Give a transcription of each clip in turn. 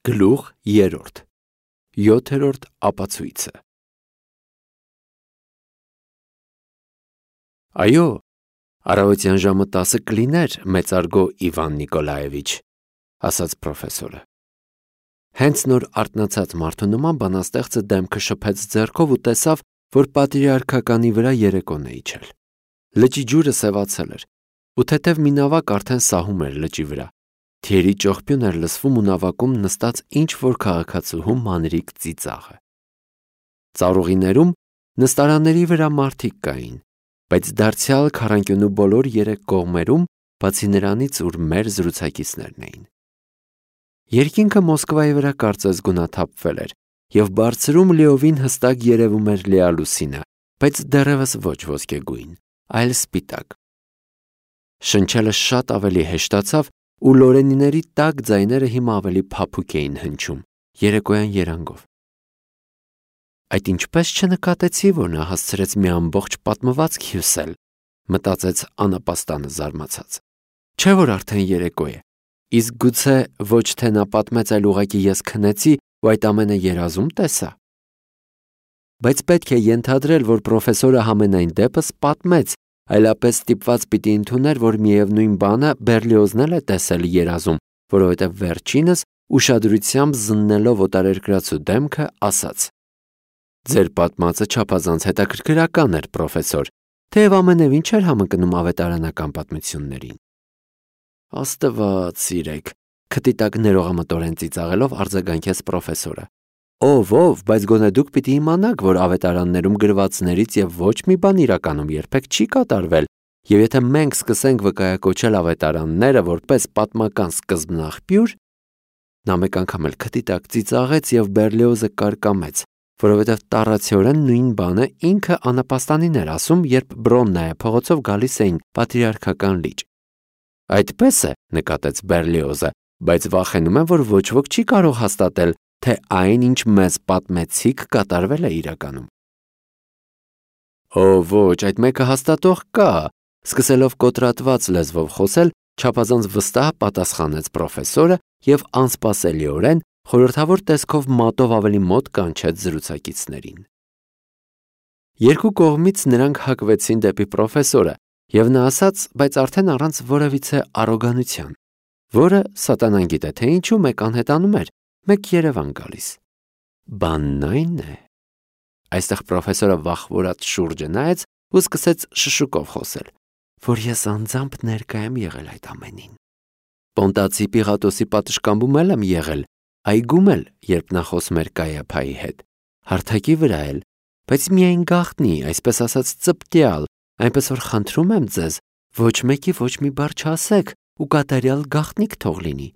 Գլուխ 3 7-րդ ապացույցը Այո, առավոտյան ժամը 10 կլիներ, մեծարգո Իվան Նիկոլաևիչ, ասաց պրոֆեսորը։ Հենց նոր արթնացած մարդու նման բանաստեղծը դեմքը շփեց ձեռքով ու տեսավ, որ պատրիարքականի վրա երեկոն է իջել։ Լճի ջուրը սևացել էր, ու թեթև մի նավակ արդեն սահում էր լճի վրա։ Թիերի ճողփյուն էր լսվում ու նավակում նստած ինչ-որ քաղաքացուհու մանրիկ ծիծաղը։ Ծառուղիներում նստարանների վրա մարդիկ կային, բայց դարձյալ քառանկյունու բոլոր երեք կողմերում, բացի նրանից, ուր մեր զրուցակիցներն էին։ Երկինքը Մոսկվայի վրա կարծես գունաթափվել էր, և բարձրում լիովին հստակ երևում էր լիալուսինը, բայց դեռևս ոչ ոսկեգույն, այլ սպիտակ։ Շնչելը շատ ավելի հեշտացավ, ու լորենիների տաք ձայները հիմա ավելի փափուկ էին հնչում, երեկոյան երանգով։ Այդ ինչպես չնկատեցի, որ նա հասցրեց մի ամբողջ պատմվածք հյուսել, մտածեց անապաստանը զարմացած։ Չէ՞ որ արդեն երեկո է, իսկ գուցե ոչ թե նա պատմեց, այլ ուղղակի ես քնեցի ու այդ ամենը երազում տեսա։ Բայց պետք է ենթադրել, որ պրոֆեսորը համենայն դեպս պատմեց, այլապես ստիպված պիտի ընդուներ, որ միևնույն բանը Բերլիոզն էլ է տեսել երազում, որովհետև վերջինս ուշադրությամբ զննելով օտարերկրացու դեմքը ասաց. Ձեր պատմածը չափազանց հետաքրքրական էր, պրոֆեսոր, թեև ամենևին չէր համընկնում ավետարանական պատմություններին։ Աստված սիրեք, քթի տակ ներողամտորեն ծիծաղելով արձագանքեց պրոֆեսորը։ Ով, բայց գոնե դուք պիտի իմանաք, որ ավետարաններում գրվածներից և ոչ մի բան իրականում երբեք չի կատարվել, և եթե մենք սկսենք վկայակոչել ավետարանները որպես պատմական սկզբնաղբյուր, նա մեկ անգամ էլ քթի տակ ծիծաղեց և Բերլիոզը կարկամեց, որովհետև տառացիորեն նույն բանը ինքը անապաստանին էր ասում, երբ Բրոննայա փողոցով գալիս էին պատրիարքական լիճ։ Այդպես է, նկատեց Բերլիոզը, բայց վախենում եմ, որ ոչ ոք չի կարող հաստատել, թե այն, ինչ մեզ պատմեցիք, կատարվել է իրականում։ Ոչ, այդ մեկը հաստատող կա, սկսելով կոտրատված լեզվով խոսել, չափազանց վստահ պատասխանեց պրոֆեսորը և անսպասելիորեն խորհրդավոր տեսքով մատով ավելի մոտ կանչեց զրուցակիցներին։ Երկու կողմից նրանք հակվեցին դեպի պրոֆեսորը, և նա ասաց, բայց արդեն առանց որևիցե առոգանության, որը սատանան գիտե, թե ինչու մեկ անհետանում էր, մեկ Երևան գալիս։ Բանն այն է։ Այստեղ պրոֆեսորը վախվորած շուրջը նայեց ու սկսեց շշուկով խոսել, որ ես անձամբ ներկա եմ եղել այդ ամենին։ Պոնտացի Պիղատոսի պատշգամբում եմ եղել, այգում էլ, երբ նա խոսում էր Կայափայի հետ, հարթակի վրա էլ, բայց միայն գաղտնի, այսպես ասած ծպտյալ, այնպես որ խնդրում եմ ձեզ, ոչ մեկի ոչ մի բառ չասեք ու կատարյալ գաղտնիք թող լինի։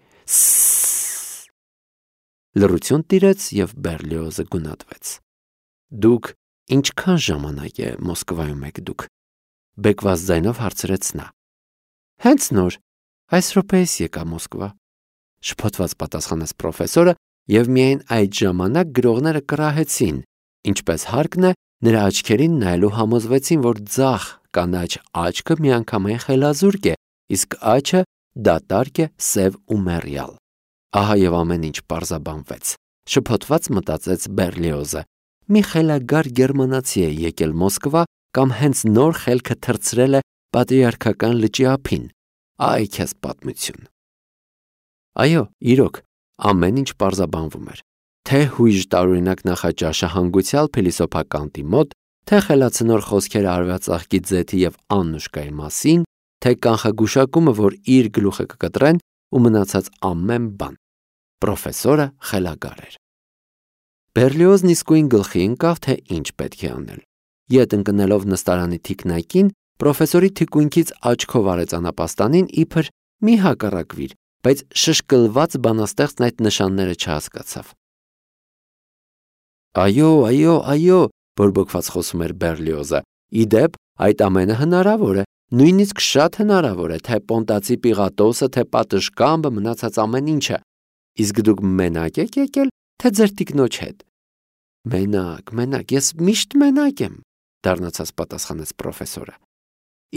Լռություն տիրեց և Բերլիոզը գունատվեց։ Դուք ինչքան ժամանակ է Մոսկվայում եք դուք, բեկված ձայնով հարցրեց նա։ Հենց նոր, այս րոպեիս եկա Մոսկվա, շփոթված պատասխանեց պրոֆեսորը, և միայն այդ ժամանակ գրողները կռահեցին, ինչպես հարկն է, նրա աչքերին նայելու համոզվեցին, որ ձախ կանաչ աչքը միանգամայն խելազուրկ է, իսկ աջը դատարկ է, սև ու մեռյալ։ Ահա և ամեն ինչ պարզաբանվեց, շփոթված մտածեց Բերլիոզը։ Մի խելագար գերմանացի է եկել Մոսկվա կամ հենց նոր խելքը թռցրել է պատրիարքական լճի ափին։ Այ քեզ պատմություն։ Այո, իրոք, ամեն ինչ պարզաբանվում էր, թե հույժ տարօրինակ նախաճաշը հանգուցյալ փիլիսոփականտի մոտ, թե խելացնոր խոսքերը արևածաղկի ձեթի և Աննուշկայի մասին, թե կանխագուշակումը, որ իր գլուխը կկտրեն, ու մնացած ամեն բան։ Պրոֆեսորը խելագար էր։ Բերլիոզն իսկույն գլխի ընկավ, թե ինչ պետք է անել։ Ետ ընկնելով նստարանի թիկնակին, պրոֆեսորի թիկունքից աչքով արեց անապաստանին, իբր մի հակառակվիր, բայց շշկլված բանաստեղծն այդ նշանները չհասկացավ։ Այո, բորբոքված խոսում էր Բերլիոզը, իդեպ այդ ամենը հնարավոր է, նույնիսկ շատ հնարավոր է, թե Պոնտացի Պիղատոսը, թե պատշգամբը, մնացած ամեն ինչը, իսկ դուք մենակ եք եկել, թե ձեր տիկնոջ հետ։ Մենակ, ես միշտ մենակ եմ, դառնացած պատասխանեց պրոֆեսորը։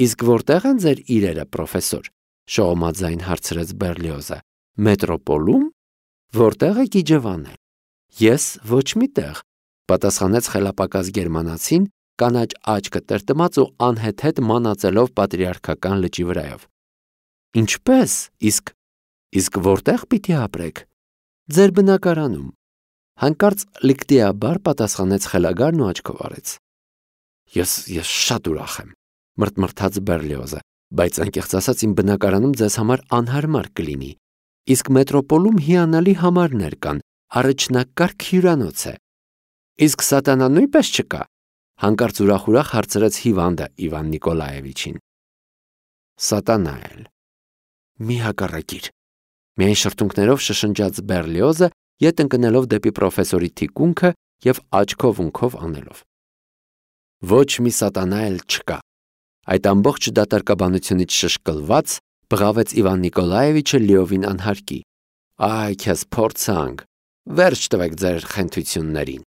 Իսկ որտեղ են ձեր իրերը, պրոֆեսոր, շողոմաձայն հարցրեց Բերլիոզը։ Մետրոպոլում։ Որտեղ եք իջևանել։ Ես ոչ միտեղ, պատասխանեց խելապակաս գերմանացին, կանաչ աչքը տրտմած ու անհեթեթ մանածելով պատրիարքական լճի վրայով։ Ինչպես, իսկ որտեղ պիտի ապրեք։ Ձեր բնակարանում։ Հանկարծ լիկտիաբար պատասխանեց խելագարն ու աչքով արեց։ Ես շատ ուրախ եմ, մրթմրթաց Բերլիոզը, բայց անկեղծ ասած իմ բնակարանում ձեզ համար անհարմար կլինի, իսկ մետրոպոլում հիանալի համարներ կան, առաջնակարգ հյուրանոց է։ Իսկ սատանան նույնպես չկա, հանկարծ ուրախ հարցրեց հիվանդը Իվան Նիկոլաևիչին։ Սատանա էլ։ Մի հակառակիր, միայն շրթունքներով շշնջաց Բերլիոզը, ետ ընկնելով դեպի պրոֆեսորի թիկունքը և աչքով ունքով անելով։ Ոչ մի սատանա էլ չկա։ Այդ ամբողջ դատարկաբանությունից շշկլված բղավեց Իվան Նիկոլաևիչը լիովին անհարկի։ Այ քեզ փորձանք, վերջ տվեք ձեր խենթություններին։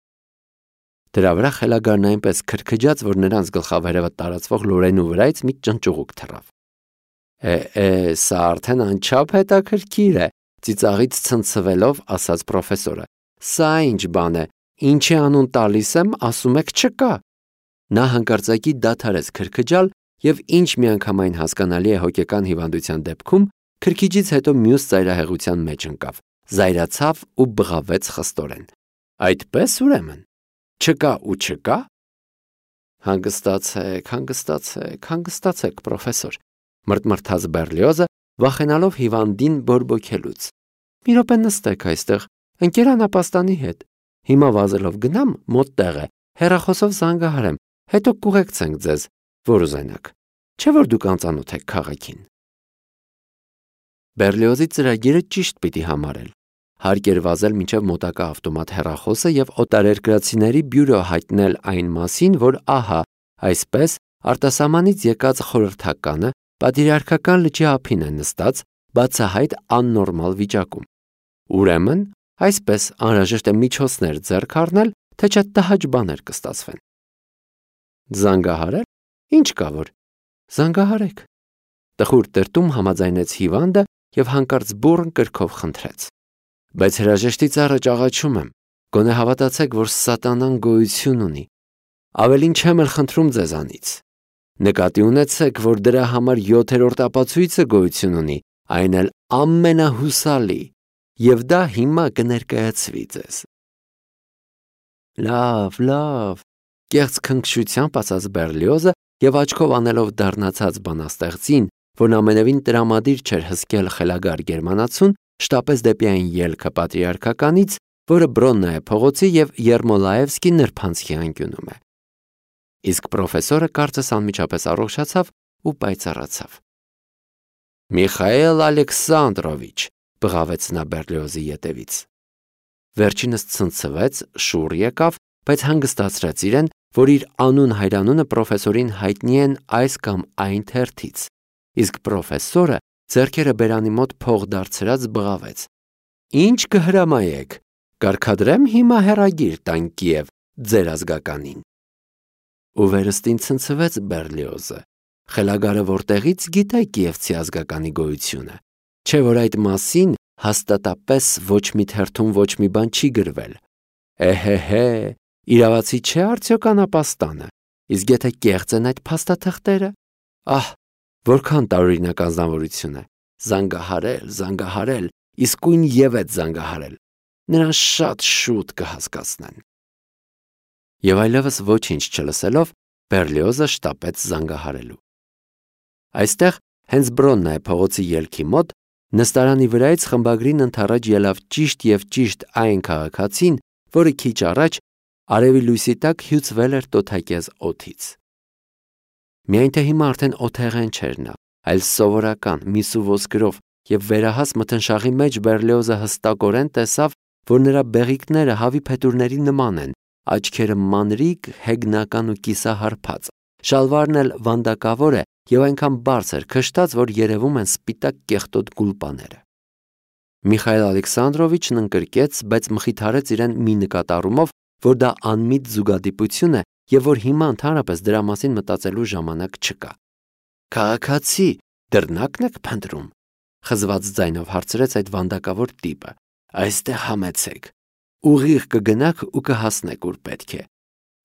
Դրա վրա խելագարն այնպես քրքջաց, որ նրանց գլխավերևը տարածվող լորենու վրայից մի ճնճուղուկ թռավ։ Սա արդեն անչափ հետաքրքիր է, ծիծաղից ցնցվելով ասաց պրոֆեսորը։ Սա ինչ բան է, ինչի անուն տալիս եմ, ասում եք չկա։ Նա հանկարծակի դադարեց քրքջալ և ինչ միանգամայն հասկանալի է հոգեկան հիվանդության դեպքում, քրքիջից հետո մյուս ծայրահեղության մեջ ընկավ, զայրացավ ու բղավեց խստորեն։ Այդպես ուրեմն, չկա ու չկա։ Հանգստացեք, պրոֆեսոր, մրթմրթաց Բերլիոզը, վախենալով հիվանդին բորբոքելուց։ Մի րոպե նստեք այստեղ, ընկերանապաստանի հետ։ Հիմա վազելով գնամ, մոտ տեղ է, հեռախոսով զանգահարեմ, հետո կուղեկցենք ձեզ, որ ուզենաք, չէ՞ որ դուք անծանոթ եք քաղաքին։ Բերլիոզի ծրագիրը ճիշտ պիտի համարել։ Հարկ էր վազել մինչև մոտակա ավտոմատ հեռախոսը և օտարերկրացիների բյուրո հայտնել այն մասին, որ ահա, այսպես, արտասահմանից եկած խորհրդականը պատրիարքական լճի ափին է նստած, բացահայտ աննորմալ վիճակում։ Ուրեմն, այսպես անհրաժեշտ է միջոցներ ձեռք առնել, թե չէ տհաճ բաներ կստացվեն։ Զանգահարել։ Ինչ կա որ։ Զանգահարեք։ Տխուր տրտում համաձայնեց հիվանդը և հանկարծ բուռն կրքով խնդրեց։ Բայց հրաժեշտից առաջ աղաչում եմ, գոնե հավատացեք, որ սատանան գոյություն ունի։ Ավելին չեմ էլ խնդրում ձեզանից։ Նկատի ունեցեք, որ դրա համար 7-րդ ապացույցը գոյություն ունի, այն էլ ամենահուսալի, և դա հիմա կներկայացվի ձեզ։ Լավ, կեղծ քնքշությամբ ասաց Բերլիոզը և աչքով անելով դառնացած բանաստեղծին, որն ամենևին տրամադիր չէր հսկել խելագար գերմանացուն, շտապեց դեպի այն ելքը պատրիարքականից, որը Բրոննայե փողոցի և Երմոլաևսկի նրբանցքի անկյունում է։ Իսկ պրոֆեսորը կարծես անմիջապես առողջացավ ու պայծառացավ։ Միխայել Ալեքսանդրովիչ, բղավեց նա Բերլիոզի ետևից։ Վերջինս ցնցվեց, շուռ եկավ, բայց հանգստացրեց իրեն, որ իր անուն-հայրանունը պրոֆեսորին հայտնի են այս կամ այն թերթից, իսկ պրոֆեսորը ձեռքերը բերանի մոտ փող դարձրած բղավեց։ Ինչ կհրամայեք, կարգադրեմ հիմա հեռագիր տան Կիև ձեր ազգականին։ Ու վերստին ցնցվեց Բերլիոզը։ Խելագարը որտեղից գիտե կիևցի ազգականի գոյությունը, չէ՞ որ այդ մասին հաստատապես ոչ մի թերթում ոչ մի բան չի գրվել։ Իրավացի չէ արդյոք անապաստանը, իսկ եթե կեղծ են այդ փաստաթղթերը, որքան տարօրինակ անձնավորություն է, զանգահարել, իսկույն ևեթ զանգահարել, նրան շատ շուտ կհասկացնեն։ Եվ այլևս ոչինչ չլսելով, Բերլիոզը շտապեց զանգահարելու։ Այստեղ, հենց Բրոննայե փողոցի ելքի մոտ, նստարանի վրայից խմբագրին ընդառաջ ելավ ճիշտ այն քաղաքացին, որը քիչ առաջ արևի լույսի տակ հյուծվել էր տոթակեզ օդից։ Միայն թե հիմա արդեն օթեղեն չէր նա, այլ սովորական միս ու ոսկրով, և վերահաս մթնշաղի մեջ Բերլիոզը հստակորեն տեսավ, որ նրա բեղիկները հավի փետուրների նման են, աչքերը մանրիկ, հեգնական ու կիսահարբած, շալվարն էլ վանդակավոր է և այնքան բարձր քշտած, որ երևում են սպիտակ կեղտոտ գուլպաները։ Միխայել Ալեքսանդրովիչն ընկրկեց, բայց մխիթարեց իրեն մի նկատառումով, որ դա անմիտ զուգադիպություն է և որ հիմա ընդհանրապես դրա մասին մտածելու ժամանակ չկա։ Քաղաքացի, դռնակն եք փնտրում, խզված ձայնով հարցրեց այդ վանդակավոր տիպը։ Այստեղ համեցեք։ Ուղիղ կգնաք ու կհասնեք ուր պետք է։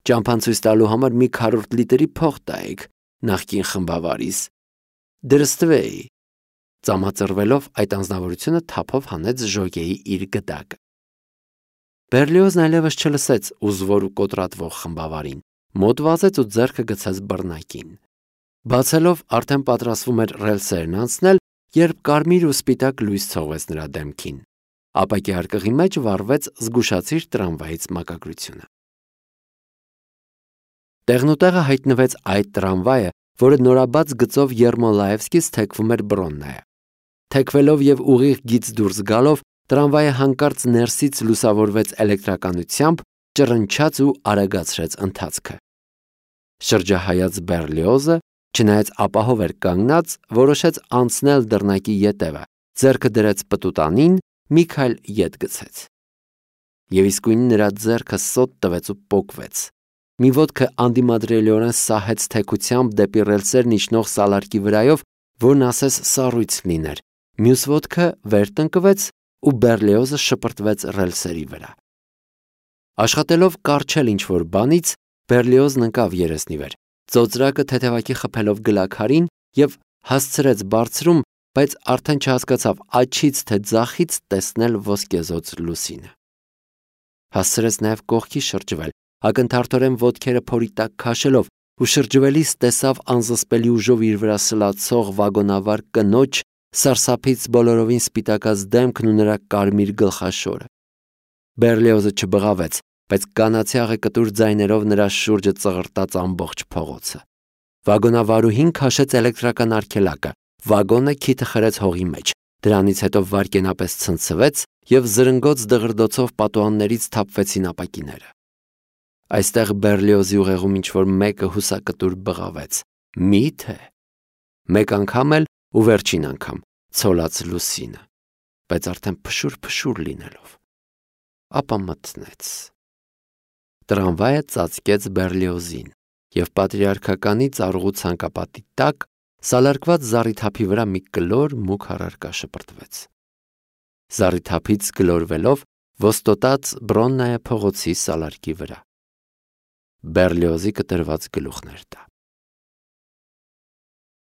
Ճամփան ցույց տալու համար մի քառորդ լիտրի փող տայեք նախկին խմբավարիս։ Դրստվեի։ Ծամածրվելով այդ անձնավորությունը թափով հանեց Ժոգեի իր գդակը։ Բերլիոզն այլևս չլսեց ուզվոր ու կոտրատվող խմբավարին, մոտ վազեց ու ձեռքը գցեց բռնակին։ Բացելով արդեն պատրաստվում էր ռելսերն անցնել, երբ կարմիր ու սպիտակ լույս ցողվեց նրա դեմքին։ Ապակի արկղի մեջ վառվեց զգուշացիր տրամվայից մակագրությունը։ Տեղնուտեղը հայտնվեց այդ տրամվայը, որը նորաբաց գծով Երմոլաևսկից թեքվում էր Բրոննայը։ Թեքվելով եւ ուղիղ գիծ դուրս գալով, տրամվայը հանկարծ ներսից լուսավորվեց էլեկտրականությամբ, ճռնչաց ու արագացրեց ընթացքը։ Շրջահայաց Բերլիոզը, չնայած ապահով էր կանգնած, որոշեց անցնել դռնակի ետևը, ձեռքը դրեց պտուտանին, մի քայլ ետ գցեց։ Եվ իսկույն նրա ձեռքը սոտ տվեց ու պոկվեց։ Մի ոտքը անդիմադրելիորեն սահեց թեքությամբ դեպի ռելսերն իջնող սալարկի վրայով, որն ասես սառույց լիներ։ Մյուս ոտքը վեր տնկվեց ու Բերլիոզը շպրտվեց ռելսերի վրա։ Աշխատելով կառչել ինչ-որ բանից, Բերլիոզն ընկավ երեսնի վեր, ծոծրակը թեթևակի խփելով գլաքարին եւ հասցրեց բարձրում, բայց արդեն չհասկացավ աչից թե ձախից տեսնել ոսկեզոծ լուսինը։ Հասցրեց նաեւ կողքի շրջվել, ակնթարթորեն ոտքերը փորի տակ քաշելով ու շրջվելիս տեսավ անզսպելի ուժով իր վրա սլացող վագոնավար կնոջ, սարսափից բոլորովին սպիտակած դեմքն ու նրա կարմիր գլխաշորը։ Բերլիոզը չբղավեց, բայց կանացյաղը կտուր ձայներով նրա շուրջը ծղրտաց ամբողջ փողոցը։ Վագոնավարուհին քաշեց էլեկտրական արգելակը, վագոնը քիթը խրեց հողի մեջ, դրանից հետո վարկենապես ցնցվեց եւ զրնգոց դղրդոցով պատուհաններից թափվեցին ապակիները։ Այստեղ Բերլիոզի ուղեղում ինչ-որ մեկը հուսակտուր բղավեց։ Մի՞թե։ Մեկ անգամ էլ ու վերջին անգամ ցոլած լուսինը, բայց արդեն փշուր լինելով։ Ապա մտնեց։ Տրամվայը ծածկեց Բերլիոզին եւ պատրիարքականի ծառուղու ցանկապատի տակ սալարկված զառիթափի վրա մի կլոր մուգ առարկա շպրտվեց։ Զառիթափից գլորվելով ոստոտած Բրոննայա փողոցի սալարկի վրա։ Բերլիոզի կտրված գլուխն էր դա։